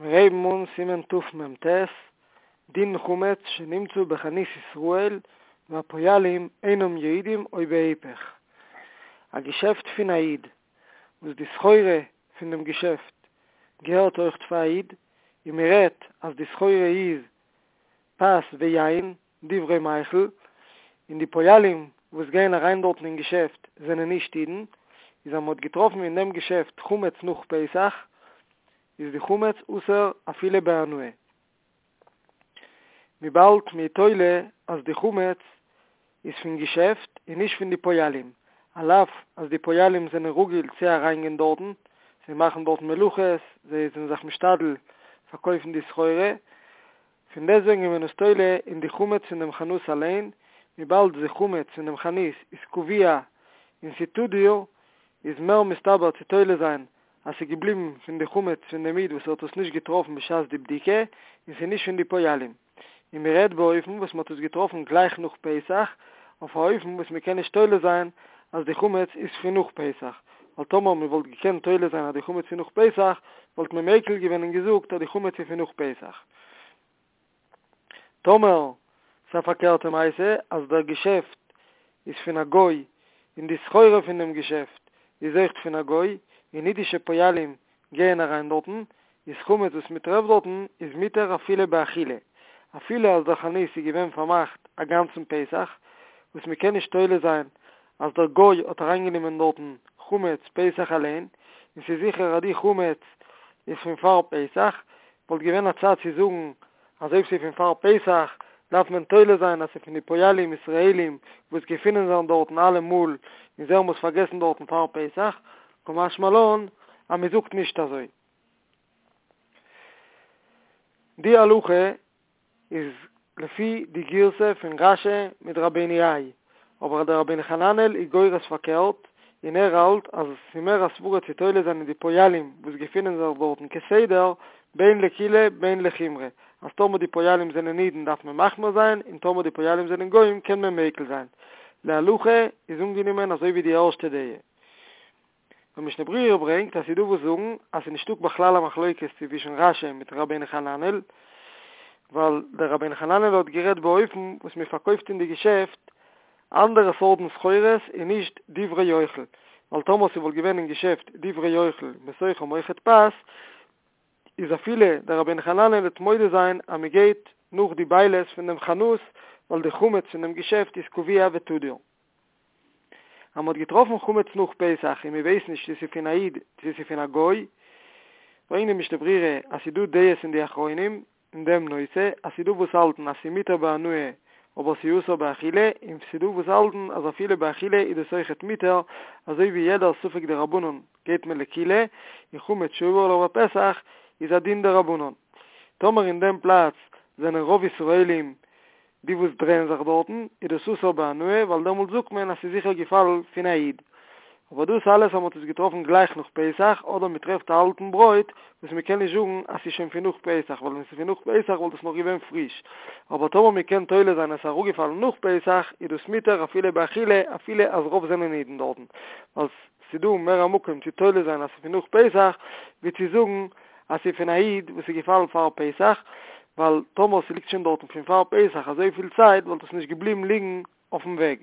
מיר הייבן אן סימן תמ"ט, דין חמץ שנמצא בחנות ישראל והפועלים אינם יודעים או בהיפך. א געשעפט פון א איד וואס די סחורה פון דעם געשעפט געהערט אויכט פאר א איד, און מען רעדט אז די סחורה איז פת ויין, דברי מאכל, און די פועלים וואס גייען אריין דארטן אין געשעפט זענען נישט אידן, איז אז מען האט געטראפן אין דעם געשעפט חמץ נאך פסח, איז די חמץ אסור אפילו בהנאה. וויבאלד מ'איז תולה אז די חמץ איז פון געשעפט און נישט פון די פועלים, על אף אז די פועלים זענען רגיל צו אריינגיין דארטן, זיי מאכן דארטן מלאכות, זיי זענען זיך משתדל פארקויפן די סחורה, פון דעסטוועגן איז מען עס תולה אין די חמץ פון דעם חנות אליין, וויבאלד די חמץ פון דעם חנות איז קבוע און ס'תדיר, איז מער מסתבר צו תולה זיין אז ס'איז געבליבן פון די חמץ פון דעם איד וואס האט עס נישט געטראפן בשעת די בדיקה, און ס'איז נישט פון די פועלים. און מ'רעדט באופן וואס מ'האט עס געטראפן גלייך נאך פסח, אויף א אופן וואס מ'קען נישט תולה זיין אז די חמץ איז פון נאך פסח, ווייל טאמער מ'וואלט געקענט תולה זיין אז די חמץ פון נאך פסח, וואלט מען מיקל געווען און געזאגט אז די חמץ איז פון נאך פסח. טאמער ס'איז א פארקערטע מעשה אז דער געשעפט איז פון א גוי און די סחורה פון דעם געשעפט איז אויכט פון א גוי און אידישע פועלים גייען אריין דארטן, איז חמץ וואס מ'טרעפט דארטן איז מותר אפילו באכילה, אפילו אז דער חנות איז געווען פארמאכט א גאנצן פסח, וואס מ'קען נישט תולה זיין אז דער גוי האט אריינגענומען דארטן חמץ פסח אליין, און ס'איז זיכער אז די חמץ איז פון פאר פסח, וואלט געווען א צד צו זאגן אז אויב ס'איז פון פאר פסח דארף מען תולה זיין אז ס'איז פון די פועלים ישראלים וואס געפינען זיך דארטן אלע מאל און זיי האבן עס פארגעסן דארטן פאר פסח, קא משמע לן אז מ'זאגט נישט אזוי. די הלכה איז לפי די גירסא פון רש"י מיט רבינו האי, אבער דער רבינו חננאל איז גורס פארקערט, און ער האלט אז עס איז מער א סברה צו תולה זיין אין די פועלים וואס געפינען זיך דארטן כסדר, בין לקולא בין לחומרא, אז טאמער די פועלים זענען אידן דארף מען מחמיר זיין, און טאמער די פועלים זענען גוים קען מען מיקל זיין. להלכה איז אנגענומען אזוי ווי די ערשטע דעה. דער משנה ברורה ברענגט אז ס'איז דא וואס זאגן אז ס'איז נישטא בכלל א מחלוקת צווישן רש"י מיט רבינו חננאל, ווייל דער רבינו חננאל האט גערעדט באופן וואס מען פארקויפט אין די געשעפט אנדערע סארטן סחורות און נישט דברי אוכל, ווייל טאמער ס'וואלט געווען אין געשעפט דברי אוכל בתוכם אויכעט פת, איז אפילו דער רבינו חננאל וועט מודה זיין אז מען גייט נאך די בעלות פון דעם חנות ווייל די חמץ פון דעם געשעפט איז קבוע ותדיר. אז מ'האט געטראפן חמץ נאך פסח און מ'ווייסט נישט צו ס'איז פון א איד צו ס'איז פון א גוי, ברענגט די משנה ברורה אז ס'איז דא דעות אין די אחרונים אין דעם נושא, אז ס'איז דא וואס האלטן אז ס'איז מותר בהנאה אבער ס'איז אסור באכילה, און ס'איז דא וואס האלטן אז אפילו באכילה איז דאס אויכעט מותר, אזוי ווי יעדער ספק דרבנן גייט מען לקולא, און חמץ שעבר עליו הפסח איז א דין דרבנן. טאמער אין דעם פלאץ זענען רוב ישראלים די וואס דרייען זיך דארטן, איז דאס אסור בהנאה, ווייל דעמאלט זאגט מען אז ס'איז זיכער געפאלן פון א איד. אבער דאס אלעס אז מ'האט עס געטראפן גלייך נאך פסח, אדער מ'טרעפט א אלטן ברויט, וואס מ'קען נישט זאגן אז ס'איז שוין פון נאך פסח, ווייל ווען ס'איז פון נאך פסח וואלט עס נאך געווען פריש. אבער טאמער מ'קען תולה זיין אז ס'איז אראפגעפאלן נאך פסח, איז דאס מותר אפילו באכילה, אפילו אז רוב זענען אידן דארטן. ווייל ס'איז דא מער א מקום צו תולה זיין אז ס'איז פון נאך פסח, ווי צו זאגן אז ס'איז פון א איד וואס איז געפאלן פאר פסח, ווייל טאמער ס'ליגט שוין דארטן פון פאר פסח אזויפיל צייט וואלט עס נישט געבליבן ליגן אויפן וועג.